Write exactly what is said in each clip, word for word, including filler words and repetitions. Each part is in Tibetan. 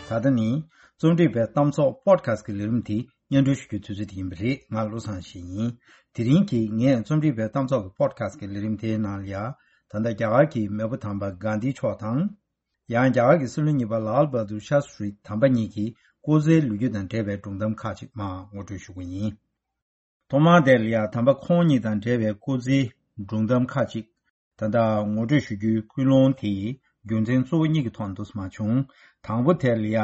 ད་ལྟ་ནི་རྩོམ་སྒྲིག་པའི་གཏམ་ཚོགས་པོ་ཌི་ཁ་སི་ཊི་གི་ལས་རིམ་དེ་སྙན་སྒྲོན་ཞུ་རྒྱུའི་དུས་ཚོད་དེ་ཡིན་པ་རེད། ང་བློ་བཟང་ཡེ་ཤེས་ཡིན། དེ་རིང་གི་ངས་རྩོམ་སྒྲིག་པའི་གཏམ་ཚོགས་ཀྱི་པོ་ཌི་ཁ་སི་ཊི་གི་ལས་རིམ་དེའི་ནང་ལ་ཡ། ད་ལྟ་རྒྱ་གར་གྱི་མེས་པོ་དམ་པ་གྷན་དྷི་མཆོག་དང་། ཡང་རྒྱ་གར་གྱི་སྲིད་བློན་གཉིས་པ་ལཱལ་བྷ་དུར་ཤཱ་སི་ཏྲི་དམ་པ་གཉིས་ཀྱི་སྐུ་ཚེའི་ལོ་རྒྱུས་དང་འབྲེལ་བའི་སྒྲུང་གཏམ་ཁག་ཅིག་མར་ངོ་སྤྲོད་ཞུ་གི་ཡིན། ཐོག་མར་དེ་ལ་ཡ་དམ་པ་ཁོང་གཉིས་དང་འབྲེལ་བའི་སྐུ་ཚེའི་སྒྲུང་གཏམ་ཁག་ཅིག་ད་ལྟ་ངོ་སྤྲོད་ཞུ་རྒྱུའི་ཀུན་སློང་དེ་རྒྱུ་མཚན་གཙོ་བོ་གཉིས་ཀྱི་ཐོག་ནས་འདུག་སེ་མར་བྱུང་། དང་པོ་དེ་ལ་ཡ་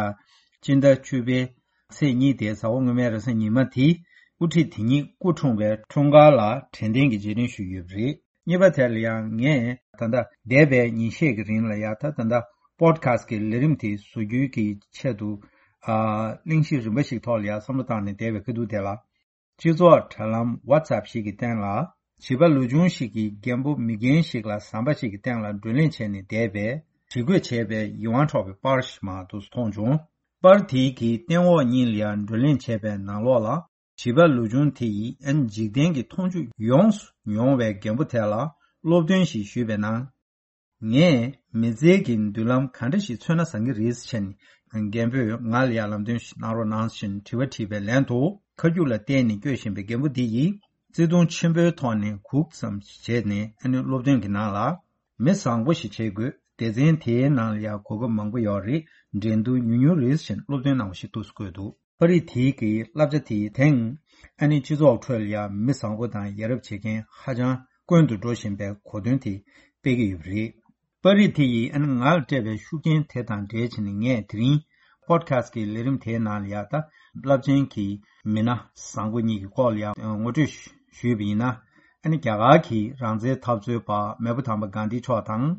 སྤྱི་ཟླ་བཅུ་པའི་ཚེས་གཉིས་དེ་གཟའ་འཁོར་སྔོན་མའི་རེས་གཟའ་ཉི་མ་དེ་དབུ་ཁྲིད་དེ་ཉིད་སྐུ་འཁྲུངས་པའི་འཁྲུངས་སྐར་ལ་དྲན་རྟེན་གྱི་རྗེས་དྲན་ཞུས་ཡོད་པ་རེད། གཉིས་པ་དེ་ལ་ཡང་ངས་ད་ལྟ་འདས་པའི་ཉིན་ཤས་ཀྱི་རིང་ལ་ཡ་ད་ད་ལྟ་པོ་ཌི་ཁ་སི་ཊི་གི་ལས་རིམ་དེ་བཟོ་རྒྱུའི་གི་ཆེད་དུ་ཨ་གླེང་གཞི་རིམ་པ་ཞིག་ཐོག་ལ་ཡ་བསམ་བློ་བཏང་ནས་བསྡད་པའི་ཁ་ཐུག་དེ་ལ། སྤྱི་ཚོགས་དྲ་ལམ་ཝ་ཊི་སེབ་ཞིག་གི་སྟེང་ལ་བྱིས་པ་ལོ་ཆུང་ཞིག་གིས་རྒན་པོ་མི་རྒན་ཞིག་ལ་ཟམ་པ་ཞིག་གི་སྟེང་ལ་བགྲོ་གླེང་བྱས་ནས་བསྡད་པའི་བྲིས་བཀོད་བྱས་པའི་ཡིད་དབང་འཕྲོག་པའི་པར་ཞིག་མར་འདུག་སེ་མཐོང་བྱུང་། པར་དེའི་གི་སྟེང་འོག་གཉིས་ལ་ཡང་བགྲོ་གླེང་བྱས་པའི་ནང་ལོགས་ལ། བྱིས་པ་ལོ་ཆུང་དེ་ཡིས་ཨན་འཇིག་རྟེན་གྱི་མཐོང་ཆོས་ཡོངས་སུ་མྱོང་བའི་རྒན་པོ་དེ་ལ་སློབ་སྟོན་ཞིག་ཞུས་པའི་ནང་། ངས་མི་ཚེ་གི་མདུན་ལམ་ག་འདྲ་ཞིག་འཚོལ་ན་བཟང་གི་རེད་ཟེར་ནས་རྒན་པོས་ང་ལ་ཡང་ལམ་སྟོན་ཞིག་གནང་རོགས་གནང་ཞེས་དྲི་བ་དྲིས་པའི་ལན་དུ། ཁ་རྒྱུག་ལ་བརྟེན་ནས་བསྐྱོད་བཞིན་པའི་རྒན་པོ་འདི་ཡིས་བརྩེ་དུང་ཆེན་པོའི་ཐོག་ནས་སྒུག་ཙམ་བྱས་ནས་ཨ་ནི་སློབ་སྟོན་གྱི་ནང་ལ། མི་བཟང་པོ་ཞིག་བྱེད་དགོས། སྡེ་ཚན་དེའི་ནང་ལ་ཡང་གོ་སྐབས་མང་པོ་ཡོད་རེད། འགྲན་བསྡུར་ཉུང་ཉུང་རེད་ཟེར་སློབ་སྟོན་གནང་བ་ཞིག་འདུག་སེ་བཀོད་འདུག་པར་རིས་དེའི་གི་བསླབ་བྱ་དེའི་སྟེང་། ཨ་ནི་སྤྱི་ཚོགས་ཁྲོད་ལ་ཡང་མི་བཟང་པོ་དང་ཡ་རབས་བྱེད་མཁན་ཧ་ཅང་དཀོན་དུ་འགྲོ་བཞིན་པའི་གོ་དོན་དེ་སྤེལ་གྱི་ཡོད་པ་རེད། པར་རིས་དེ་ཡིས་ཨ་ནི་ང་ལ་སྤྲད་པའི་ཤུགས་རྐྱེན་དེ་དང་འབྲེལ་བྱས་ནས་ངས་དེ་རིང་པོ་ཌི་ཁ་སི་ཊི་གི་ལས་རིམ་དེའི་ནང་ལ་ཡ་ད་རླབས་ཆེན་གྱི་མི་སྣ་བཟང་པོ་གཉིས་ཀྱི་སྐོར་ལ་ཡ་ངོ་སྤྲོད་ཞུས་པ་ཡིན་ན། ཨ་ནི་རྒྱ་གར་གྱི་རང་བཙན་འཐབ་རྩོད་པ་མེས་པོ་དམ་པ་གྷན་དྷི་མཆོག་དང་།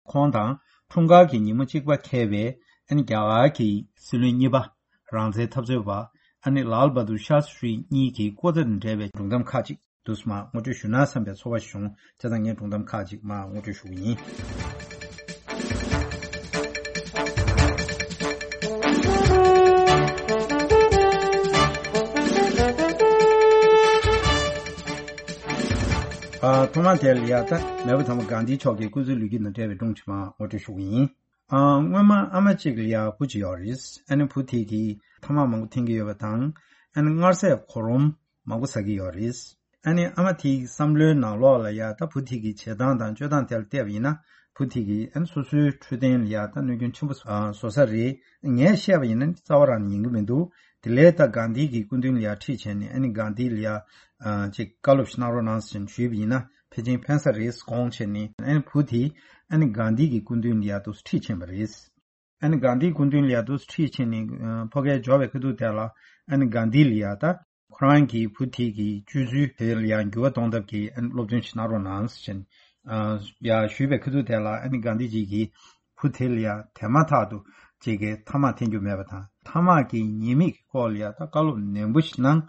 ཁོང་དང་འཁྲུངས་སྐར་གྱི་ཉིན་མོ་གཅིག་པ་འཁེལ་བའི་ཨ་ནི་རྒྱ་གར་གྱི་སྲིད་བློན་གཉིས་པ། རང་བཙན་འཐབ་རྩོད་པ་ཨ་ནི་ལཱལ་བྷ་དུར་ཤཱ་སི་ཏྲི་གཉིས་ཀྱི་སྐུ་ཚེ་དང་འབྲེལ་བའི་སྒྲུང་གཏམ་ཁག་ཅིག་འདུག་སེ་མར་ངོ་སྤྲོད་ཞུ་ན་བསམ་པའི་ཚོར་བ་བྱུང་། བྱས་ཙང་ངས་སྒྲུང་གཏམ་ཁག་ཅིག་མར་ངོ་སྤྲོད་ཞུ་གི་ཡིན། ཨ། ཐོག་མར་དེ་ལ་ཡ་ད་མེས་པོ་དམ་པ་གྷན་དྷི་མཆོག་གི་སྐུ་ཚེའི་ལོ་རྒྱུས་དང་འབྲེལ་བའི་སྒྲུང་ཅིག་མར་ངོ་སྤྲོད་ཞུ་གི་ཡིན། ཨ། སྔོན་མ་ཨ་མ་གཅིག་ལ་ཡ་བུ་གཅིག་ཡོད་རེད། ཨ་ནི་བུ་དེ་གིས་ཐ་མག་མང་པོ་འཐེན་གྱི་ཡོད་པ་དང་། ཨ་ནི་མངར་ཟས་གོ་རོམ་མང་པོ་ཟ་གི་ཡོད་རེད། ཨ་ནི་ཨ་མ་དེའི་བསམ་བློའི་ནང་ལོགས་ལ་ཡ་ད་བུ་དེ་གི་བྱེད་སྟངས་དང་སྤྱོད་སྟངས་དེ་ལ་བལྟས་པ་ཡིན་ན། བུ་དེ་གིས་ཨ་ནི་སོ་སོའི་འཕྲོད་བསྟེན་ལ་ཡ་ད་གནོད་སྐྱོན་ཆེན་པོ་བཟོ་ས་རེད། ངས་བཤད་པ་ཡིན་ན་རྩ་བ་རང་ནས་ཉན་གྱི་མི་འདུག་དེ་ལས་ད་གྷན་དྷི་གི་སྐུ་མདུན་ལ་ཡ་ཁྲིད་བྱས་ནས། ཨ་ནི་གྷན་དྷི་ལ་ཡ་ཅིག་བཀའ་སློབ་ཞིག་གནང་རོགས་གནང་ཟེར་ཞུས་པ་ཡིན་ན། ཕལ་ཆེར་ཕན་ས་རེད་དགོངས་བྱས་ནས། ཨ་ནི་བུ་དེ་ཨ་ནི་གྷན་དྷི་གི་སྐུ་མདུན་ལ་ཡ་འདུག་སེ་ཁྲིད་ཕྱིན་པ་རེད། ཨ་ནི་གྷན་དྷིའི་སྐུ་མདུན་ལ་ཡ་འདུག་སེ་ཁྲིད་ཕྱིན་ནས། ཨ། ཕ་གིར་འབྱོར་བའི་ཁ་ཐུག་དེ་ལ། ཨ་ནི་གྷན་དྷི་ལ་ཡ་ད་ཁོ་རང་གི་བུ་དེ་གི་སྤྱོད་ཚུལ་དེ་ལ་ཡ་འགྱུར་བ་གཏོང་ཐབས་ཀྱི། ཨ་ནི་སློབ་སྟོན་ཞིག་གནང་རོགས་གནང་ཟེར། ཨ། ཡ་ཞུས་པའི་ཁ་ཐུག་དེ་ལ། ཨ་ནི་གྷན་དྷི་ཇི་གིས་བུ་དེ་ལ་ཡ་དེ་མ་ཐག་ཏུ་ཅིག་གི་ཐ་མག་འཐེན་རྒྱུ་མེད་པ་དང་། ཐ་མག་གི་ཉེས་དམིགས་ཀྱི་སྐོར་ལ་ཡ་ད་བཀའ་སློབ་ནན་པོ་ཞིག་གནང་།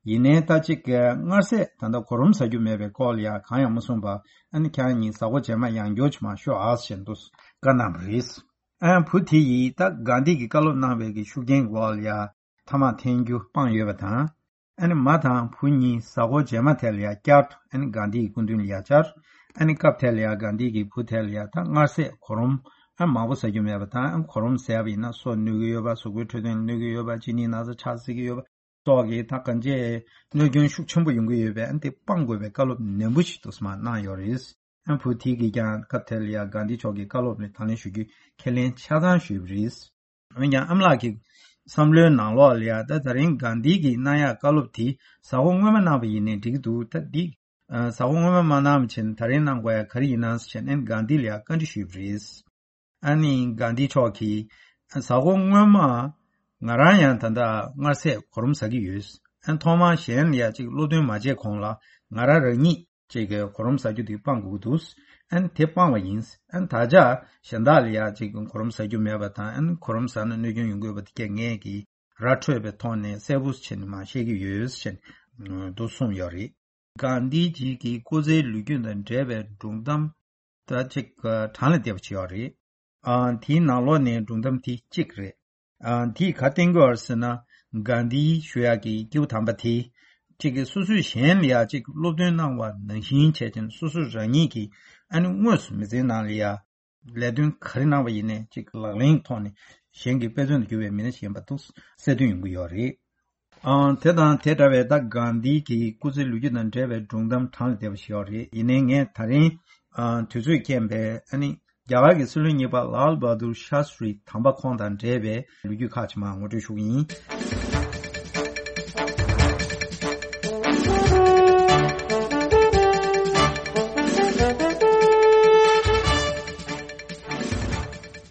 ཡིན་ནའི་ད་ཅིག་གི་མངར་ཟས་ད་ལྟ་གོ་རོམ་ཟ་རྒྱུ་མེད་པའི་སྐོར་ལ་ཡ་གང་ཡང་མ་གསུངས་པར། ཨ་ནི་ཁྱེད་རང་གཉིས་གཟའ་འཁོར་རྗེས་མ་ཡང་བསྐྱར་ཅིག་མར་ཤོག་ཨ་ཟེར་འདུག་སེ་བཀའ་གནང་བ་རེད། ཨ། བུ་དེ་ཡིས་ད་གྷན་དྷི་གིས་བཀའ་སློབ་གནང་བའི་གི་ཤུགས་རྐྱེན་འོག་ལ་ཡ་ཐ་མག་འཐེན་རྒྱུ་སྤངས་ཡོད་པ་དང་། ཨ་ནི་མ་དང་བུ་གཉིས་གཟའ་འཁོར་རྗེས་མ་དེ་ལ་ཡ་བསྐྱར་དུ་ཨ་ནི་གྷན་དྷི་ཡི་སྐུ་མདུན་ལ་ཡ་བཅར། ཨ་ནི་སྐབས་དེ་ལ་ཡ་གྷན་དྷི་གིས་བུ་དེ་ལ་ཡ་ད་མངར་ཟས་གོ་རོམ་ཨ་མང་པོ་ཟ་རྒྱུ་མེད་པ་དང་། ཨ་གོ་རོམ་ཟས་པ་ཡིན་ན་སོ་གནོད་ཀྱི་ཡོད་པ། གཟུགས་པོའི་འཕྲོད་བསྟེན་ལ་གནོད་ཀྱི་ཡོད་པ། གཅིན་སྙི་ན་ཚ་ཆགས་སྲིད་ཀྱི་ཡོད་པ་སོགས་ཀྱི་ད་གང་ཅིའི་གནོད་སྐྱོན་ཤུགས་ཆེན་པོ་ཡོང་གི་ཡོད་པས། ཨ་ནི་དེ་སྤང་དགོས་པའི་བཀའ་སློབ་ནན་པོ་ཞིག་འདུག་སེ་མར་གནང་ཡོད་རེད། ཨ། བུ་དེ་གིས་ཀྱང་སྐབས་དེ་ལ་ཡ་གྷན་དྷི་མཆོག་གི་བཀའ་སློབ་ལ་དང་ལེན་ཞུ་རྒྱུ་ཁས་ལེན་ཆ་ཚང་ཞུས་པ་རེད། འོན་ཀྱང་ཨ་མ་ལགས་ཀྱི་བསམ་བློའི་ནང་ལོགས་ལ་ཡ་ད་ད་རིང་གྷན་དྷི་གིས་གནང་ཡག་བཀའ་སློབ་དེ་གཟའ་འཁོར་སྔོན་མ་གནང་བ་ཡིན་ནའི་འགྲིག་གི་འདུག་ད་འདི་གཟའ་འཁོར་སྔོན་མ་མ་གནང་བ་བྱས་ནས་ད་རིང་གནང་དགོས་ཡག་ག་རེ་ཡིན་ནམ་ཟེར་ནས་གྷན་དྷི་ལ་ཡ་བཀའ་འདྲི་ཞུས་པ་རེད། ཨ་ནི་གྷན་དྷི་མཆོག་གིས། གཟའ་འཁོར་སྔོན་མ་ང་རང་ཡང་ད་ལྟ་མངར་ཟས་གོ་རོམ་ཟ་གི་ཡོད། ཨ། ཐོག་མར་གཞན་ལ་ཡ་ཅིག་སློབ་སྟོན་མ་བྱས་གོང་ལ་ང་རང་རང་ཉིད་ཅིག་གི་གོ་རོམ་ཟ་རྒྱུ་དེ་སྤང་དགོས་ཀྱི་འདུག་ཨ་ནི་དེ་སྤངས་པ་ཡིན། ཨ་ནི་ད་ཆ་གཞན་དག་ལ་ཡ་ཅིག་གོ་རོམ་ཟ་རྒྱུ་མེད་པ་དང་། ཨ་ནི་གོ་རོམ་ཟ་ན་གནོད་སྐྱོན་ཡོང་གི་ཡོད་པ་དེ་གས་ངས་ཀྱིས་ར་འཕྲོད་པའི་ཐོག་ནས་གསལ་པོ་བྱས་ནས་མར་བཤད་ཀྱི་ཡོད་ཅེས་འདུག་གསུངས་ཡོད་རེད། གྷན་དྷི་ཇི་གི་སྐུ་ཚེའི་ལོ་རྒྱུས་དང་འབྲེལ་བའི་སྒྲུང་གཏམ་ད་ཅིག་གྲངས་ལས་འདས་པ་ཅིག་ཡོད་རེད། ཨ། དེའི་ནང་ལོགས་ནས་སྒྲུང་གཏམ་དེ་གཅིག་རེད། ཨ། དེས་ག་བསྟན་གྱི་ཡོད་རེད་ཟེར་ན། གྷན་དྷི་ཞུ་ཡག་གི་སྐྱེས་བུ་དམ་པ་དེ་གཅིག་གིས་སོ་སོས་གཞན་ལ་ཡ་ཅིག་སློབ་སྟོན་གནང་བ་ནང་བཞིན་བྱས་ཀྱང་། སོ་སོ་རང་ཉིད་ཀྱིས་ཨ་ནི་དངོས་སུ་མི་ཚེའི་ནང་ལ་ཡ་ ལས་དོན་ག་རེ་གནང་བ་ཡིན་ནའི་ཅིག་ལག་ལེན་ཐོག་ནས་གཞན་གྱི་དཔེ་མཚོན་དུ་གྱུར་པའི་མི་སྣ་ཞིག་ཡིན་པ་འདུག་གསལ་སྟོན་ཡོང་གི་ཡོད་རེད། ཨང་། དེ་དང་དེ་འདྲ་བའི་ད་གྷན་དྷི་གི་སྐུ་ཚེའི་ལོ་རྒྱུས་དང་འབྲེལ་བའི་སྒྲུང་གཏམ་གྲངས་ལས་འདས་པ་ཞིག་ཡོད་རེད། ཡིན་ནའི་ངས་ད་རིང་ཨང་། དུས་ཚོད་རྐྱེན་པས་ཨ་ནི་རྒྱ་གར་གྱི་སྲིད་བློན་གཉིས་པ་ལཱལ་བྷ་དུར་ཤཱ་སྟྲི་དམ་པ་ཁོང་དང་འབྲེལ་བའི་ལོ་རྒྱུས་ཁག་ཅིག་མར་ངོ་སྤྲོད་ཞུ་གི་ཡིན།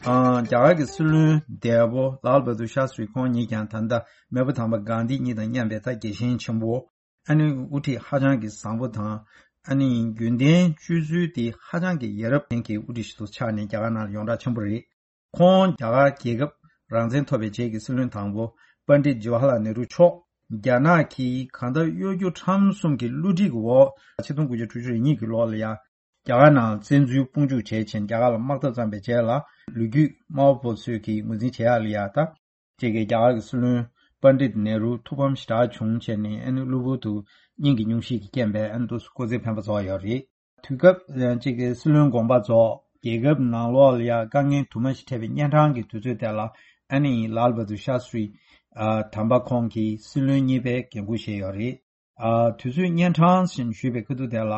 ཨང་། རྒྱ་གར་གྱི་སྲིད་བློན་འདས་པོ་ལཱལ་བྷ་དུར་ཤཱ་སྟྲི་ཁོང་ཉིད་ཀྱང་ད་ལྟ་མེས་པོ་དམ་པ་གྷན་དྷི་ཉིད་དང་མཉམ་པའི་ད་རྒྱལ་ཞེན་ཆེན་པོ། ཨ་ནི་དབུ་ཁྲིད་ཧ་ཅང་གི་བཟང་པོ་དང་། ཨ་ནི་རྒྱུན་ལྡན་སྤྱོད་ཚུལ་དེ་ཧ་ཅང་གི་ཡ་རབས་ཅན་གྱི་དབུ་ཁྲིད་ཞིག་ཏུ་ཆགས་ནས་རྒྱ་གར་ནང་ལ་ཡོངས་གྲགས་ཆེན་པོ་རེད། ཁོང་རྒྱ་གར་རྒྱལ་ཁབ་རང་བཙན་ཐོབ་པའི་རྗེས་ཀྱི་སྲིད་བློན་དང་པོ་པཎྜི་ཏ་ཇི་ཝ་ཧར་ལཱལ་ནེ་རུ་མཆོག་རྒྱ་ནག་གིས་གང་ལྟར་གཡོ་སྒྱུ་ཁྲམ་གསུམ་གྱི་བསླུ་བྲིད་ཀྱི་འོག་ཆིག་སྟོང་དགུ་བརྒྱ་དྲུག་ཅུ་རེ་གཉིས་ཀྱི་ལོ་ལ་ཡ། རྒྱ་གར་ནང་བཙན་འཛུལ་དཔུང་འཇུག་བྱས་ཕྱིན་རྒྱ་གར་ལ་དམག་འཐབ་བརྩམས་པའི་རྗེས་ལ་ལོ་རྒྱུས་དམར་པོ་ཚོས་ཀྱིས་ངོས་འཛིན་བྱེད་ཡག་ལ་ཡ་ད། ཅིག་གིས་རྒྱ་གར་གྱི་སྲིད་བློན་པཎྜི་ཏ་ནེ་རུ་ཐུགས་ཕམ་ཞེ་དྲག་བྱུང་བྱས་ནས་ཨ་ནི་གློ་བུར་དུ་སྙིང་གི་སྙུང་གཞི་གི་རྐྱེན་པས་ཨ་ནི་དུས་སུ་སྐུ་ཚེ་འཕེན་པ་རྫོགས་ཡོད་རེད། དུས་སྐབས་ཅིག་གི་སྲིད་བློན་དགོངས་པ་རྫོགས་རྒྱལ་ཁབ་ནང་ལོགས་ལ་ཡ་དཀའ་ངལ་དུ་མ་ཞིག་འཕྲད་པའི་གཉན་འཕྲང་གི་དུས་ཚོད་དེ་ལ་ཨ་ནི་ལཱལ་བྷ་དུར་ཤཱ་སྟྲི་དམ་པ་ཁོང་གིས་སྲིད་བློན་གཉིས་པའི་འགན་འཁུར་བཞེས་ཡོད་རེད། ཨ། དུས་ཚོད་གཉན་འཕྲང་ཞེས་ཞུས་པའི་ཁ་ཐུག་དེ་ལ།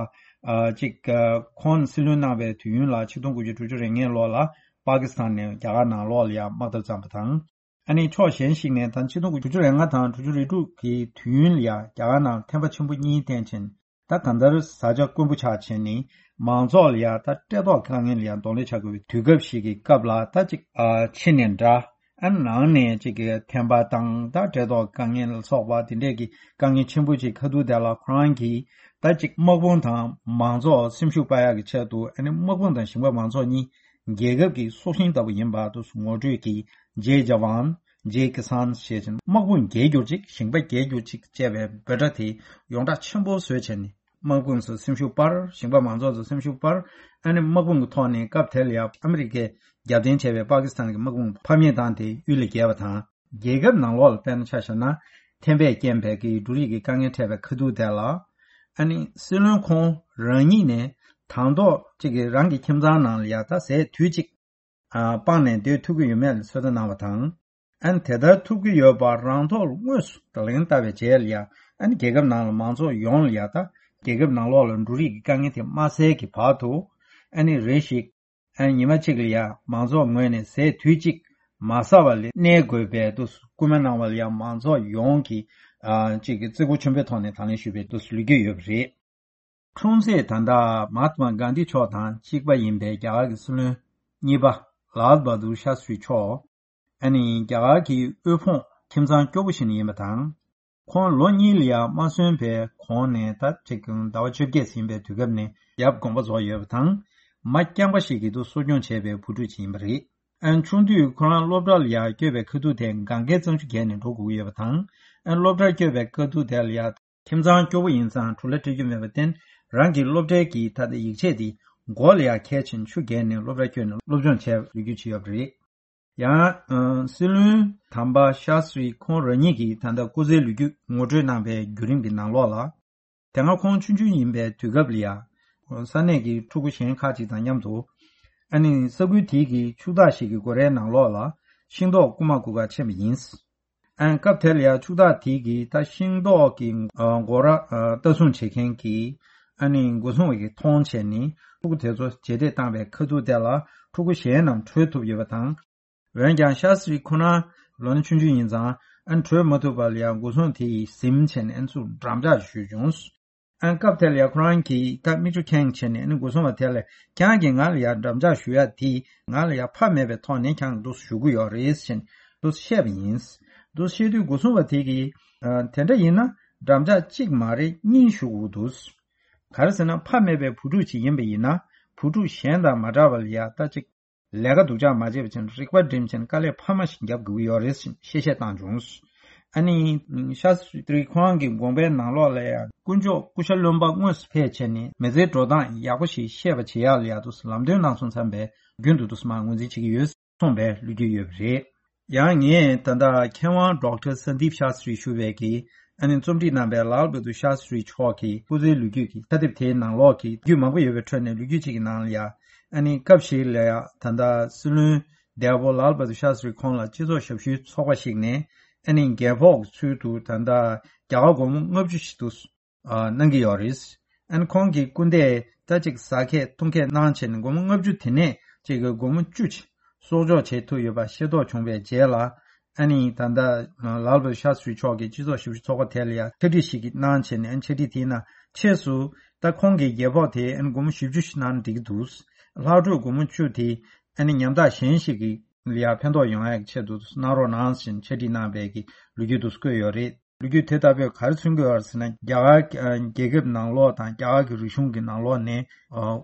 ཨ། གཅིག་ཨ། ཁོང་སྲིད་བློན་གནང་བའི་དུས་ཡུན་ལ་ཆིག་སྟོང་དགུ་བརྒྱ་དྲུག་ཅུ་རེ་ལྔའི་ལོ་ལ་པ་ཀི་སི་ཐན་ནས་རྒྱ་གར་ནང་ལོགས་ལ་ཡང་དམག་འཐབ་བརྩམས་པ་དང་། ཨ་ནི་ཕྱོགས་གཞན་ཞིག་ནས་ད་ཆིག་སྟོང་དགུ་བརྒྱ་དྲུག་ཅུ་རེ་ལྔ་དང་དྲུག་ཅུ་རེ་དྲུག་གི་དུས་ཡུན་ལ་ཡང་རྒྱ་གར་ནང་ཐེམ་པ་ཆེན་པོ་གཉིས་བསྟེན་ཕྱིན། ད་གང་ལྟར་བཟའ་བཅའ་དཀོན་པོ་ཆགས་བྱས་ནས་མང་ཚོགས་ལ་ཡང་ད་བཀྲེས་ལྟོགས་དཀའ་ངལ་ལ་ཡང་གདོང་ལེན་བྱ་དགོས་པའི་དུས་སྐབས་ཤིག་གི་སྐབས་ལ་ད་ཅིག་ཨ། ཕྱི་ནས་འདྲ། ཨ། ནང་ནས་ཅིག་གི་ཐེམ་པ་དང་ད་བཀྲེས་ལྟོགས་དཀའ་ངལ་ལ་སོགས་པ་དེ་འདྲས་ཀྱི་དཀའ་ངལ་ཆེན་པོ་ཅིག་ཁ་ཐུག་དེ་ལ་ཁོ་རང་གིས་ད་ཅིག་དམག་དཔུང་དང་མང་ཚོགས་སེམས་ཤུགས་སྤར་ཡག་གི་ཆེད་དུ་ཨ་ནི་དམག་དཔུང་དང་ཞིང་པ་མང་ཚོགས་གཉིས་རྒྱལ་ཁབ་ཀྱི་སྲོག་ཤིང་ལྟ་བུ་ཡིན་པ་དུ་ངོ་སྤྲོད་ཀྱིས་ཇེ་ཇ་ཝཱན། ཇེ་ཀི་སཱན་ཞེས་བྱས་དམག་དཔུང་རྒྱལ་གྱུར་ཅིག་ཞིང་པ་རྒྱལ་གྱུར་ཅིག་ཅེས་པའི་འབོད་སྒྲ་དེ་ཡོངས་གྲགས་ཆེན་པོ་བཟོས་བྱས་ནས། དམག་དཔུང་ཚོ་སེམས་ཤུགས་སྤར། ཞིང་པ་མང་ཚོགས་ཚོ་སེམས་ཤུགས་སྤར། ཨ་ནི་དམག་དཔུང་གི་ཐོག་ནས་སྐབས་དེ་ལ་ཡང་ཨ་མི་རི་ཀས་རྒྱབ་རྟེན་བྱས་པའི་པ་ཀི་སི་ཐན་གྱི་དམག་དཔུང་ཕམ་ཉེས་བཏང་སྟེ་གཡུལ་ལས་བརྒལ་བ་དང་། རྒྱལ་ཁབ་ནང་ལོགས་ལ་དཔེར་ན་ཆ་བཞག་ན་ཐེམ་པས་རྐྱེན་པས་ཀྱི་འབྲུ་རིགས་ཀྱི་དཀའ་ངལ་འཕྲད་པའི་ཁ་ཐུག་དེ་ལ། ཨ་ནི་སྲིད་བློན་ཁོང་རང་ཉིད་ནས་དང་ཐོག་ཅིག་གི་རང་གི་ཁྱིམ་ཚང་ནང་ལ་ཡང་ད་ཟས་དུས་གཅིག་ཨ། སྤངས་ནས་སྡོད་ཐུབ་ཀྱི་ཡོད་མེད་ལ་ཚོད་ལྟ་གནང་བ་དང་། ཨ་ནི་དེ་ལྟར་ཐུབ་ཀྱི་ཡོད་པ་རང་ཐོག་ལ་དངོས་སུ་ལག་ལེན་བསྟར་བའི་རྗེས་ལ་ཡང་ཨ་ནི་རྒྱལ་ཁབ་ནང་ལ་མང་ཚོགས་ཡོངས་ལ་ཡང་ད་རྒྱལ་ཁབ་ནང་ལོགས་ལ་འབྲུ་རིགས་ཀྱི་དཀའ་ངལ་དེ་མ་སེལ་གྱི་བར་དུ། ཨ་ནི་རེ་ཞིག་ཨ་ནི་ཉི་མ་གཅིག་ལ་ཡང་མང་ཚོགས་ངོས་ནས་ཟས་དུས་གཅིག་མ་ཟ་བ་ལས་གནས་དགོས་པའི་དུས་སུ་སྐུལ་མ་གནང་བ་ལ་ཡང་མང་ཚོགས་ཡོངས་ཀྱིས་ཨ་གཅིག་གི་བརྩི་བཀུར་ཆེན་པོའི་ཐོག་ནས་དང་ལེན་ཞུས་པའི་དུས་སུ་ལུས་ཀྱི་ཡོད་པ་རེད། འཁྲུངས་ཚེས་ད་ལྟ་མ་ཧཱ་ཏྨ་གྷན་དྷི་མཆོག་དང་གཅིག་པ་ཡིན་པའི་རྒྱ་གར་གྱི་སྲིད་བློན་གཉིས་པ་ལཱལ་བྷ་དུར་ཤཱ་སྟྲི་མཆོག་ཨ་ནི་རྒྱ་གར་གྱི་དབུལ་ཕོངས་ཁྱིམ་ཚང་སྐྱོ་པོ་ཞིག་ནས་ཡིན་པ་དང་། ཁོང་ལོ་གཉིས་ལ་ཡང་མ་སོན་པའི་གོང་ནས་ད་ཅིག་ཟླ་བ་བཅོ་བརྒྱད་ཟིན་པའི་དུས་སྐབས་ནས་ཡབ་དགོངས་པ་རྫོགས་ཡོད་པ་དང་། མ་རྐྱང་པ་ཞིག་གིས་དུ་གསོ་སྐྱོང་བྱས་པའི་བུ་ཕྲུག་ཅིག་ཡིན་པ་རེད། ཨན་ཆུང་དུས་ཁོ་རང་སློབ་གྲྭ་ལ་ཡར་བསྐྱོད་པའི་ཁ་ཐུག་དེ་གན་རྒྱའི་གཙང་ཆུ་བརྒལ་ནས་འགྲོ་དགོས་ཀྱི་ཡོད་པ་དང་། ཨན་སློབ་གྲྭར་བསྐྱོད་པའི་ཁ་ཐུག་དེ་ལ་ཡང་ཁྱིམ་ཚང་སྐྱོ་པོ་ཡིན་ཙང་བྲོ་ལ་སྤྲད་རྒྱུ་མེད་པར་བརྟེན། རང་གི་སློབ་གྲྭའི་གི་ད་ལྟ་ཡིག་ཆས་དེ་མགོ་ལ་ཡང་འཁྱེར་བཞིན་ཆུ་བརྒལ་ནས་སློབ་གྲྭར་བསྐྱོད་ནས་སློབ་སྦྱོང་བྱས་པའི་ལོ་རྒྱུས་ཅིག་ཡོད་པ་རེད། ཡང་། ཨ། སྲིད་བློན་དམ་པ་ཤཱ་སྟྲི་ཁོང་རང་ཉིད་ཀྱིས་ད་ལྟ་སྐུ་ཚེའི་ལོ་རྒྱུས་ངོ་སྤྲོད་གནང་པའི་བརྒྱུད་རིམ་གྱི་ནང་ལོགས་ལ། དེ་སྔ་ཁོང་ཆུང་ཆུང་ཡིན་པའི་དུས་སྐབས་ལ་ཡང་། ས་གནས་ཀྱི་ཕྲུ་གུ་གཞན་ཁག་ཅིག་དང་མཉམ་དུ། ཨ་ནི་ས་ཁུལ་དེའི་གི་ཕྱུག་བདག་ཞིག་གི་སྒོ་རའི་ནང་ལོགས་ལ་ཤིང་ཏོག་རྐུ་མ་རྐུ་གར་ཕྱིན་པ་ཡིན། ཨ་ནི་སྐབས་དེ་ལ་ཡང་ཕྱུག་བདག་དེའི་གི་ད་ཤིང་ཏོག་གི་སྒོ་ར་ལྟ་སྲུང་བྱེད་མཁན་གྱི་ཨ་ནི་སྒོ་སྲུང་བ་གིས་མཐོང་བྱས་ནས་ཕྲུ་གུ་དེ་ཚོ་རྗེས་འདེད་བཏང་བའི་ཁ་ཐུག་དེ་ལ་ཕྲུ་གུ་གཞན་རྣམས་བྲོས་ཐུབ་ཡོད་པ་དང་། འོན་ཀྱང་ཤཱ་སྟྲི་ཁོ་རང་ལོ་ན་ཆུང་ཆུང་ཡིན་ཙང་ཨ་ནི་བྲོས་མ་ཐུབ་པ་ལ་ཡང་སྒོ་སྲུང་དེ་ཡིས་ཟིན་བྱས་ནས་ཨ་ནི་ཚུར་འགྲམ་ལྕག་གཞུས་བྱུང་། ཨ་ནི་སྐབས་དེ་ལ་ཡང་ཁོ་རང་གིས་ད་མིག་ཆུ་ཁེངས་བྱས་ནས་ཨ་ནི་སྒོ་སྲུང་བ་དེ་ལ་ཁྱེད་རང་གིས་ང་ལ་ཡང་འགྲམ་ལྕག་གཞུ་ཡག་དེ་ང་ལ་ཡང་ཕ་མེད་པའི་ཐོག་ནས་ཁྱེད་རང་འདུག་གཞུ་གི་ཡོད་རེད་ཟེར་ནས་འདུག་བཤད་པ་ཡིན། འདུག་བཤད་དུས་སྒོ་སྲུང་བ་དེ་གིས་ཨ་དེ་འདྲ་ཡིན་ན་འགྲམ་ལྕག་གཅིག་མ་རེད་གཉིས་གཞུ་དགོས་འདུག་ག་རེ་ཟེར་ན་ཕ་མེད་པའི་བུ་ཕྲུག་ཅིག་ཡིན་པ་ཡིན་ན་བུ་ཕྲུག་གཞན་དང་མ་འདྲ་བ་ལ་ཡང་ད་ཅིག་ལས་ཀ་སྡུག་ཅག་མ་བྱེད་པ་བྱས་ནས་རིག་པ་སྒྲིམ་བྱས་ནས་དཀའ་ལས་འཕར་མ་ཞིག་རྒྱབ་དགོས་ཀྱི་ཡོད་རེད་ཅེས་གཤེ་གཤེ་བཏང་བྱུང་། ཨ་ནི་ཤཱ་སྟྲི་ཁོང་གི་དགོངས་པའི་ནང་ལོགས་ལ་ཡང་དཀོན་མཆོག་སྐུ་ཤ་རློན་པ་དངོས་སུ་ཕེབས་བྱས་ནས་མི་ཚེའི་འགྲོ་སྟངས་ཡག་པོ་ཞིག་ཤེས་པ་བྱེད་ཡག་ལ་ཡང་དུ་ལམ་སྟོན་གནང་སོང་བསམ་པའི་རྒྱུན་དུ་དུ་མ་ངོས་འཛིན་བྱེད་ཀྱི་ཡོད་གསུངས་པའི་ལོ་རྒྱུས་ཡོད་པ་རེད། ཡང་ངས་ད་ལྟ་མཁས་དབང་ཌོག་ཊར་སན་དིབ་ཤཱ་སྟྲི་ཞུ་བའི་གི་ཨ་ནི་རྩོམ་སྒྲིག་གནང་པའི་ལཱལ་བྷ་དུར་ཤཱ་སྟྲི་མཆོག་གི་སྐུ་ཚེའི་ལོ་རྒྱུས་ཀྱི་ཕྱག་དེབ་དེའི་ནང་ལོགས་ཀྱི་ལོ་རྒྱུས་མང་པོ་ཡོད་པའི་ཁྲོད་ནས་ལོ་རྒྱུས་གཅིག་གི་ནང་ལ་ཡང་ ཨ་ནི་སྐབས་ཤིག་ལ་ཡང་ད་ལྟ་སྲིད་བློན་འདས་པོ་ལཱལ་བྷ་དུར་ཤཱ་སི་རི་ཁོང་ལ་སྤྱི་ཚོགས་ཞབས་ཞུའི་ཚོགས་པ་ཞིག་ནས་ཨ་ནི་རྒྱལ་ཕོགས་ཀྱི་ཚུལ་དུ་ད་ལྟ་རྒྱ་གར་སྒོར་མོ་ལྔ་བཅུ་ཞིག་ཏུ་གནང་གི་ཡོད་རེད། ཨ་ནི་ཁོང་གི་སྐུ་ཟླས་ད་ཅིག་ཟ་ཁས་འཐུང་ཁས་གནང་བྱས་ནས་སྒོར་མོ་ལྔ་བཅུ་དེ་ནས་ཅིག་གི་སྒོར་མོ་བཅུ་ཅིག་གསོག་འཇོག་བྱེད་ཐུབ་ཡོད་པ་ཤེས་རྟོགས་བྱུང་བའི་རྗེས་ལ། ཨ་ནི་ད་ལྟ་ལཱལ་བྷ་དུར་ཤཱ་སི་རི་མཆོག་གིས་སྤྱི་ཚོགས་ཞབས་ཞུ་ཚོགས་པ་དེ་ལ་ཡང་ཕྱག་བྲིས་ཤིག་གནང་བྱས་ནས། ཨ་ནི་ཕྱག་བྲིས་དེའི་ནང་ཕྱིས་སུ་ད་ཁོང་གི་རྒྱལ་ཕོགས་དེ་ཨ་ནི་སྒོར་མོ་བཞི་བཅུ་ཞིག་གནང་ན་འགྲིག་གི་འདུག་ལྷག་འཕྲོས་སྒོར་མོ་བཅུ་དེ་ཨ་ནི་ཉམ་ཐག་གཞན་ཞིག་གི་ལ་ཡང་ཕན་ཐོགས་ཡོང་ཡག་ཆེད་དུ་གནང་རོགས་གནང་ཟེར་ཕྱག་བྲིས་གནང་བའི་གི་ལོ་རྒྱུས་དེ་ཚོ་བཀོད་ཡོད་རེད། ལོ་རྒྱུས་དེ་ལྟ་བུས་ག་རེ་མཚོན་གྱི་ཡོད་རེད་ཟེར་ན། རྒྱ་གར་རྒྱལ་ཁབ་ནང་ལོགས་དང་རྒྱ་གར་གྱི་རིག་གཞུང་གི་ནང་ལོགས་ནས་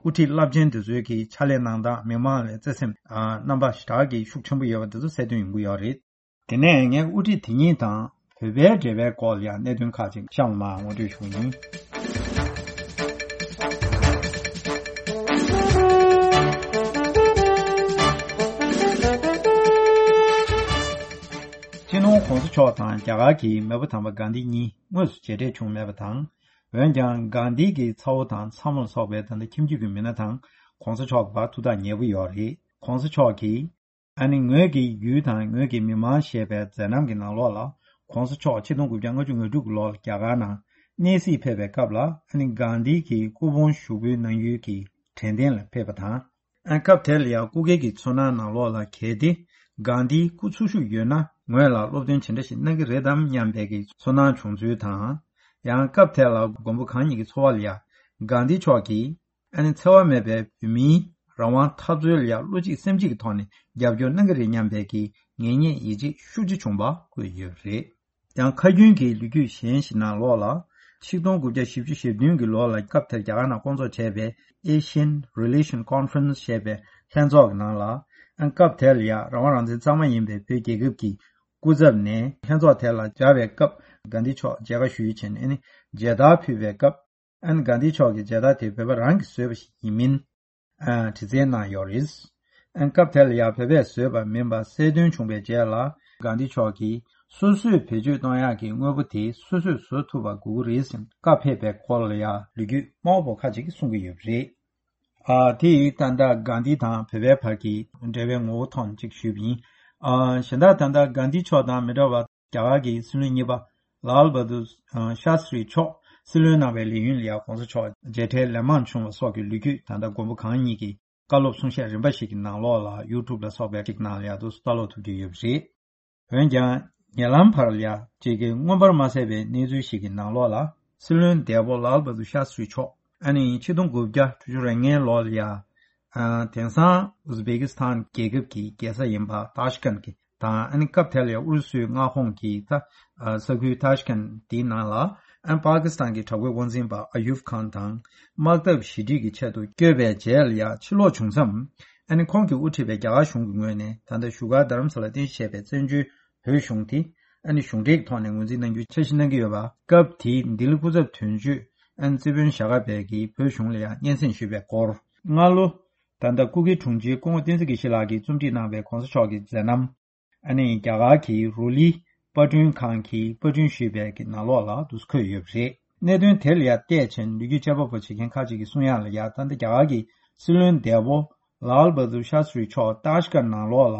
དབུ་ཁྲིད་རླབས་ཆེན་དེ་ཚོའི་གི་ཕྱག་ལས་གནང་སྟངས། མི་མང་ལ་བརྩེ་སེམས་རྣམ་པ་ཞེ་དྲག་གི་ཤུགས་ཆེན་པོ་ཡོད་པ་དེ་ཚོ་གསལ་སྟོན་ཡོང་གི་ཡོད་རེད། དེ་ནས་ངས་དབུ་ཁྲིད་དེ་གཉིས་དང་བོད་པའི་འབྲེལ་བའི་སྐོར་ལ་ཡང་གནད་དོན་ཁག་ཅིག་གཤམ་ལ་མར་ངོ་སྤྲོད་ཞུ་གི་ཡིན། སྤྱི་ནོར་༸གོང་ས་མཆོག་དང་རྒྱ་གར་གྱི་མེས་པོ་དམ་པ་གྷན་དྷི་གཉིས་དངོས་སུ་མཇལ་འཕྲད་བྱུང་མེད་པ་དང་། འོན་ཀྱང་གྷན་དྷི་གི་ཚ་བོ་དང་ཚ་མོ་ལ་སོགས་པའི་ད་ལྟ་ཁྱིམ་རྒྱུད་ཀྱི་མི་སྣ་དང་༸གོང་ས་མཆོག་གི་བར་ཐུགས་ཐག་ཉེ་པོ་ཡོད་རེད། ༸གོང་ས་མཆོག་གིས། ཨ་ནི་ངོས་ཀྱི་ཡུལ་དང་ངོས་ཀྱི་མི་མང་ཞེས་པའི་མཛད་རྣམ་གྱི་ནང་ལོགས་ལ། ༸གོང་ས་མཆོག་ཆིག་སྟོང་དགུ་བརྒྱ་ལྔ་བཅུ་ང་དྲུག་གི་ལོར་རྒྱ་གར་ནང་གནས་གཟིགས་ཕེབས་པའི་སྐབས་ལ། ཨ་ནི་གྷན་དྷི་གི་སྐུ་ཕུང་བཞུགས་སྤོའི་གནང་ཡུལ་གྱི་དྲན་རྟེན་ལ་ཕེབས་པ་དང་། ཨ་སྐབས་དེ་ལ་ཡང་སྐུ་སྒེར་གྱི་ཚོར་སྣང་ནང་ལོགས་ལ། གལ་ཏེ་གྷན་དྷི་སྐུ་འཚོ་བཞུགས་ཡོད་ན་ངོས་ལ་སློབ་སྟོན་ཇི་འདྲ་ཞིག་གནང་གི་རེད་དམ་སྙམ་པའི་གི་ཚོར་སྣང་བྱུང་ཚུལ་དང་། ཡང་སྐབས་དེ་ལ་མགོན་པོ་གང་ཉིད་ཀྱི་འཚོ་བ་ལ་ཡང་གྷན་དྷི་མཆོག་གིས། ཨ་ནི་འཚེ་བ་མེད་པའི་བོད་མིའི་རང་དབང་འཐབ་རྩོད་ལ་ཡང་བློ་གཅིག་སེམས་གཅིག་གི་ཐོག་ནས་རྒྱབ་སྐྱོར་གནང་གི་རེད་སྙམ་པའི་གི་ངེས་རྙེད་ཡིད་ཆེས་ཤུགས་ཆེ་བྱུང་བ་བཀོད་ཡོད་པ་རེད། ཡང་ཁ་རྒྱུན་གྱི་ལོ་རྒྱུས་གཞན་ཞིག་ནང་ལོགས་ལ། ཆིག་སྟོང་དགུ་བརྒྱ་བཞི་བཅུ་ཞེ་བདུན་གྱི་ལོ་ལ་སྐབས་དེར་རྒྱ་གར་ནང་བསྐོང་ཚོགས་བྱས་པའི་Asian Relation Conference ཞེས་པའི་ལྷན་ཚོགས་ཀྱི་ནང་ལ། ཨ་སྐབས་དེར་ལ་ཡང་རང་དབང་རང་བཙན་གཙང་མ་ཡིན་པའི་བོད་རྒྱལ་ཁབ་ཀྱི་སྐུ་ཚབ་ནས་ལྷན་ཚོགས་དེ་ལ་བཅར་བའི་སྐབས། གྷན་དྷི་མཆོག་མཇལ་ཁ་ཞུས་བྱས་ནས། ཨ་ནི་མཇལ་དར་ཕུལ་བའི་སྐབས། ཨ་ནི་གྷན་དྷི་མཆོག་གིས་མཇལ་དར་དེ་བོད་པ་རང་གིས་བཟོས་པ་ཞིག་ཡིན་མིན། ཨ་དྲི་རྩད་གནང་ཡོད་རེད། ཨ་སྐབས་དེ་ལ་ཡང་བོད་པས་བཟོས་པ་མིན་པ་གསལ་སྟོན་བྱུང་བའི་རྗེས་ལ། གྷན་དྷི་མཆོག་གིས་སོ་སོས་བེད་སྤྱོད་གཏོང་ཡག་གི་དངོས་པོ་དེ་སོ་སོས་བཟོ་ཐུབ་པ་དགོས་ཀྱི་རེད་ཟེར་བཀའ་ཕེབས་པའི་སྐོར་ལ་ཡང་ལོ་རྒྱུས་མང་པོ་ཁ་ཅིག་གིས་གསུང་གི་ཡོད་པ་རེད། ཨ་དེ་ཡིས་ད་ལྟ་གྷན་དྷི་དང་བོད་པའི་བར་གྱི་འབྲེལ་བའི་ངོ་བོ་ཐོག་ནས་ཅིག་ཞུས་པ་ཡིན། ཨ་གཞན་དག་ད་ལྟ་གྷན་དྷི་མཆོག་དང་མི་འདྲ་བར། རྒྱ་གར་གྱི་སྲིད་བློན་གཉིས་པ་ལཱལ་བྷ་དུར་ཤཱ་སི་རི་མཆོག་སྲིད་བློན་གནང་བའི་ལས་ཡུན་ལ་ཡང་༸གོང་ས་མཆོག་མཇལ་འཕྲད་ལན་མང་བྱུང་བ་སོགས་ཀྱི་ལོ་རྒྱུས། ད་ལྟ་མགོན་པོ་གང་ཉིད་ཀྱི་བཀའ་སློབ་གསུང་བཤད་རིམ་པ་ཞིག་གི་ནང་ལོགས་ལ། ཡུ་ཊུབ་ལ་སོགས་པའི་ཅིག་ནང་ལ་ཡང་དུ་ལྟ་ཀློག་ཐུབ་ཀྱི་ཡོད་པ་རེད། འོན་ཀྱང་ཉེ་ལམ་བར་ལ་ཡང་ཅིག་གི་མངོན་པར་མ་གསལ་བའི་གནས་ཚུལ་ཞིག་གི་ནང་ལོགས་ལ། སྲིད་བློན་འདས་པོ་ལཱལ་བྷ་དུར་ཤཱ་སི་རི་མཆོག་ཨ་ནི་ཆིག་སྟོང་དགུ་བརྒྱ་དྲུག་ཅུ་རེ་ལྔའི་ལོ་ལ་ཡང་། ཨ་དེང་སང་ཨུ་ཛི་བེ་ཀི་སི་ཐན་རྒྱལ་ཁབ་ཀྱི་རྒྱལ་ས་ཡིན་པ་ཏཱ་ཤི་ཀན་གྱི་དང་། ཨ་ནི་སྐབས་དེ་ལ་ཡང་ཨུ་རུ་སུའི་མངའ་ཁོངས་ཀྱི་ད་ས་ཁུལ་ཏཱ་ཤི་ཀན་དེའི་ནང་ལ། ཨ་པ་ཀི་སི་ཐན་གྱི་དྲག་པོའི་དབང་འཛིན་པ་ཨ་ཡུབ་ཁཱན་དང་དམག་འཐབ་ཞི་འགྲིག་གི་ཆེད་དུ་བསྐྱོད་པའི་རྗེས་ལ་ཡང་ཕྱིར་ལོག་བྱུང་མཚམས། ཨ་ནི་ཁོང་གིས་དབུ་ཁྲིད་པའི་རྒྱ་གར་གཞུང་གི་ངོས་ནས་ད་ལྟ་བཞུགས་སྒར་རྡ་རམ་ས་ལར་རྟེན་གཞི་བྱས་པའི་བཙན་བྱོལ་བོད་གཞུང་དེ། ཨ་ནི་གཞུང་འབྲེལ་གྱི་ཐོག་ནས་ངོས་འཛིན་གནང་རྒྱུའི་འཆར་གཞི་གནང་གི་ཡོད་པ། སྐབས་དེའི་ལྡི་ལི་སྐུ་ཚབ་དོན་གཅོད་ཨ་ནི་རྩིས་དཔོན་ཞྭ་སྒབ་པས་ཀྱིས་བོད་གཞུང་ལ་ཡང་སྙན་སེང་ཞུས་པའི་སྐོར། སྔ་ལོ་ད་ལྟ་སྐུ་སྒེར་དྲུང་ཆེ་སྐུ་ངོ་བསྟན་འཛིན་དགེ་བཤེས་ལགས་ཀྱིས་རྩོམ་སྒྲིག་གནང་བའི་༸གོང་ས་མཆོག་གི་མཛད་རྣམ། ཨ་ནི་རྒྱ་གར་གྱི་རུ་ལི་པར་སྐྲུན་ཁང་གིས་པར་སྐྲུན་ཞུས་པའི་གི་ནང་ལོགས་ལ་འདུག་སེ་འཁོད་ཡོད་པ་རེད། གནད་དོན་དེ་ལ་ཡང་བལྟས་ཕྱིན། ལོ་རྒྱུས་དཔྱད་པ་པོ་བྱེད་མཁན་ཁག་ཅིག་གིས་གསུང་ཡག་ལ་ཡང་། ད་ལྟ་རྒྱ་གར་གྱི་སྲིད་བློན་འདས་པོ་ལཱལ་བྷ་དུར་ཤཱ་སི་རི་མཆོག་ཏཱ་ཤི་ཀན་ནང་ལོགས་ལ་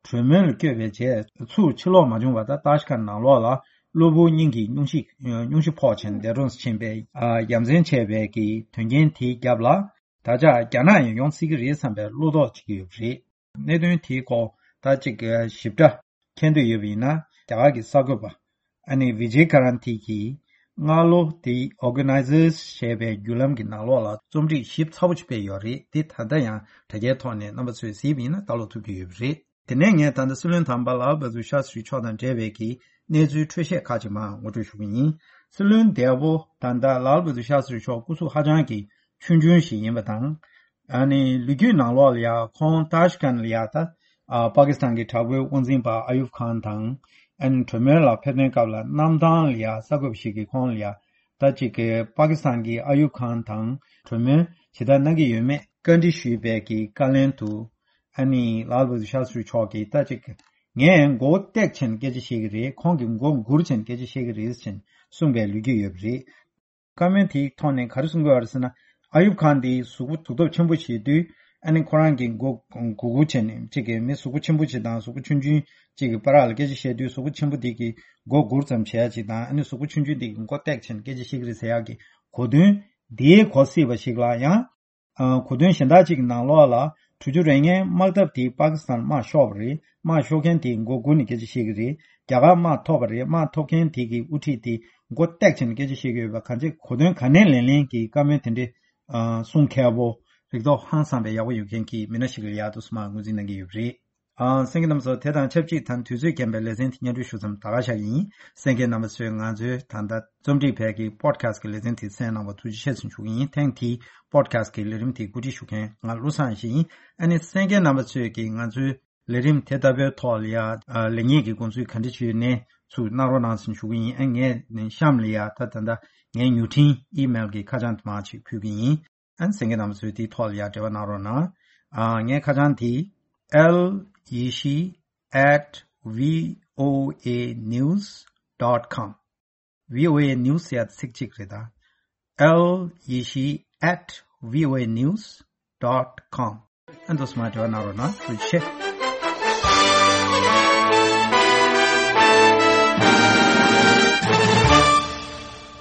གྲོས་མོལ་ལ་བསྐྱོད་པའི་རྗེས། ཚུར་ཕྱིར་ལོག་མ་བྱུང་བར། ད་ཏཱ་ཤི་ཀན་ནང་ལོགས་ལ་གློ་བུར་སྙིང་གི་སྙུང་གཞི་སྙུང་གཞི་ཕོག་ཕྱིན། འདས་གྲོངས་སུ་ཕྱིན་པའི་ཨ་ཡ་མཚན་ཆེ་བའི་གི་དོན་རྐྱེན་དེའི་རྒྱབ་ལ། ད་ཆ་རྒྱ་ནག་ཡང་ཡོང་སྲིད་ཀྱི་རེད་བསམ་པའི་བློ་དོགས་བྱེད་ཀྱི་ཡོད་པ་རེད། གནད་དོན་དེའི་སྐོར་ད་ཅིག་ཞིབ་ཕྲ་མཁྱེན་འདོད་ཡོད་པ་ཡིན་ན། རྒྱ་གར་གྱི་གསར་འགོད་པ་ཨ་ནི་བི་ཇེ་ཀ་རན་ཐི་གིས་སྔ་ལོ་དེའི་Organizers ཞེས་པའི་བརྒྱུད་ལམ་གྱི་ནང་ལོགས་ལ་རྩོམ་སྒྲིག་ཞིབ་ཚགས་པོ་ཅིག་སྤེལ་ཡོད་རེད། དེ་ད་ལྟ་ཡང་དྲ་རྒྱའི་ཐོག་ནས་རྣམ་པ་ཚོས་གཟིགས་པ་ཡིན་ན་ལྟ་ཀློག་ཐུབ་ཀྱི་ཡོད་པ་རེད། དེ་ནས་ངས་ད་ལྟ་སྲིད་བློན་དམ་པ་ལཱལ་བྷ་དུར་ཤཱ་སི་རི་མཆོག་དང་འབྲེལ་བའི་གི་གནས་ཚུལ་འཕྲོས་བཤད་ཁག་ཅིག་མར་ངོ་སྤྲོད་ཞུ་གི་ཡིན། སྲིད་བློན་འདས་པོ་ད་ལྟ་ལཱལ་བྷ་དུར་ཤཱ་སི་རི་མཆོག་སྐུ་གཟུགས་ཧ་ཅང་གི་ཆུང་ཆུང་ཞིག་ཡིན་པ་དང་། ཨ་ནི་ལོ་རྒྱུས་ནང་ལོགས་ལ་ཡང་ཁོང་ཏཱ་ཤི་ཀན་ལ་ཡང་ད་ཨ་པ་ཀི་སི་ཐན་གྱི་དྲག་པོའི་དབང་འཛིན་པ་ཨ་ཡུབ་ཁཱན་དང་། ཨ་ནི་གྲོས་མོལ་ལ་ཕེབས་དོན་སྐབས་ལ་གནམ་ཐང་ལ་ཡང་གསར་འགོད་པ་ཞིག་གིས་ཁོང་ལ་ཡང་ད་ཅིག་གི་པ་ཀི་སི་ཐན་གྱི་ཨ་ཡུབ་ཁཱན་དང་གྲོས་མོལ་ཇི་ལྟར་གནང་གི་ཡོད་མེད་བཀའ་འདྲི་ཞུས་པའི་གི་བཀའ་ལན་དུ། ཨ་ནི་ལཱལ་བྷ་དུར་ཤཱ་སི་རི་མཆོག་གིས་ད་ཅིག་ངས་མགོ་བོ་བཏེགས་བྱས་ནས་སྐད་ཆ་བཤད་ཀྱི་རེད། ཁོང་གིས་མགོ་སྒུར་བྱས་ནས་སྐད་ཆ་བཤད་ཀྱི་རེད་ཅེས་གསུངས་པའི་ལོ་རྒྱུས་ཡོད་པ་རེད། བཀའ་མོལ་དེའི་ཐོག་ནས་ག་རེ་གསུང་གི་ཡོད་རེད་ཟེར་ན། ཨ་ཡུབ་ཁཱན་འདི་གཟུགས་པོ་གཟུགས་སྟོབས་ཆེན་པོ་ཞིག་དུས། ཨ་ནི་ཁོ་རང་གི་མགོ་སྒུར་སྒུར་བྱས་ནས་གཅིག་གི་མི་གཟུགས་པོ་ཆེན་པོ་ཅིག་དང་གཟུགས་པོ་ཆུང་ཆུང་གཅིག་གི་བར་ལ་སྐད་ཆ་བཤད་དུས་གཟུགས་པོ་ཆེན་པོ་དེ་གི་མགོ་སྒུར་ཙམ་བྱེད་ཡ་ཅིག་དང་ཨ་ནི་གཟུགས་པོ་ཆུང་ཆུང་དེ་གི་མགོ་བཏེགས་བྱས་ནས་སྐད་ཆ་བཤད་ཀྱི་རེད་ཟེར་ཡ་གི་གོ་དོན་དེའི་གོ་སྲིད་པ་ཞིག་ལ་ཡང་། ཨ། གོ་དོན་གཞན་དག་ཅིག་གི་ནང་ལོགས་ལ་དྲུག་ཅུ་རེ་ལྔའི་དམག་འཐབ་དེ་པ་ཀི་སི་ཐན་དམག་ཤོར་བ་རེད། དམག་ཤོར་མཁན་དེ་མགོ་སྒུར་ནས་སྐད་ཆ་བཤད་ཀྱི་རེད། རྒྱ་གར་དམག་ཐོབ་པ་རེད། དམག་ཐོབ་མཁན་དེ་གི་དབུ་ཁྲིད་དེ་མགོ་བཏེགས་བྱས་ནས་སྐད་ཆ་བཤད་ཀྱི་ཡོད་པ་གང་ཅི་གོ་དོན་ག་ནས་ལེན་ལེན་གྱི་བཀའ་མོལ་དེ་འདྲའི་ཨ། གསུང་མཁས་པོ་རིག་སྟོབས་ཧང་སངས་པའི་ཡག་པོ་ཡོད་མཁན་གྱི་མི་སྣ་ཞིག་ལ་ཡག་ཏུ་སོང་མ་ངོས་འཛིན་གནང་གི་ཡོད་པ་རེད། ཨ། གསན་མཁན་རྣམ་པ་ཚོ་དེ་དང་ཆབས་ཅིག་ད་དུས་ཚོད་རྐྱེན་པས་ལེ་ཚན་དེ་སྙན་སྒྲོན་ཞུ་མཚམས་ད་ག་བཞག་ཡིན། གསན་མཁན་རྣམ་པ་ཚོས་ང་ཚོའི་ད་ལྟ་རྩོམ་སྒྲིག་བལ་གྱི་པོ་ཌི་ཁ་སི་ཊི་གི་ལེ་ཚན་དེ་གསན་གནང་བར་ཐུགས་རྗེ་ཆེ་ཞུ་གི་ཡིན། ཐེངས་འདིའི་པོ་ཌི་ཁ་སི་ཊི་གི་ལས་རིམ་དེ་གོ་སྒྲིག་ཞུ་མཁན་ང་བློ་བཟང་ཡེ་ཤེས་ཡིན། ཨ་ནི་གསན་མཁན་རྣམ་པ་ཚོས་ཀྱིས་ང་ཚོའི་ལས་རིམ་དེ་ལྟ་བུའི་ཐོག་ལ་ཡ་ཨ། ལེགས་ཉེས་ཀྱི་དགོངས་ཚུལ་ག་འདྲ་ཅིག་ཡོད་ནའི་ཚུར་གནང་རོགས་གནང་ཞུ་གི་ཡིན། ཨ། ངས་གཤམ་ལ་ཡ་ད་ད་ལྟ་ངའི་མྱུར་འཕྲིན་ཨི་མེལ་གྱི་ཁ་བྱང་དེ་མར་ཅིག་ཕུལ་གི་ཡིན། ཨ་ནི་གསན་མཁན་རྣམ་པ་ཚོས་དེའི་ཐོག་ལ་ཡ་འབྲེལ་བ་གནང་རོགས་གནང་། ཨ། ངའི་ཁ་བྱང་དེ་ཨེལ་ཡེ་ཤེས་at voanews dot com། བྷི་ཨོ་ཨེ་ནིའུ་སི་ཡ་ཚིག་གཅིག་རེད་ད། ཨེལ་ཡེ་ཤེས་at voanews dot com། ཨ་ནི་འདུག་སེ་མར་འབྲེལ་བ་གནང་རོགས་གནང་། ཐུགས་རྗེ་ཆེ།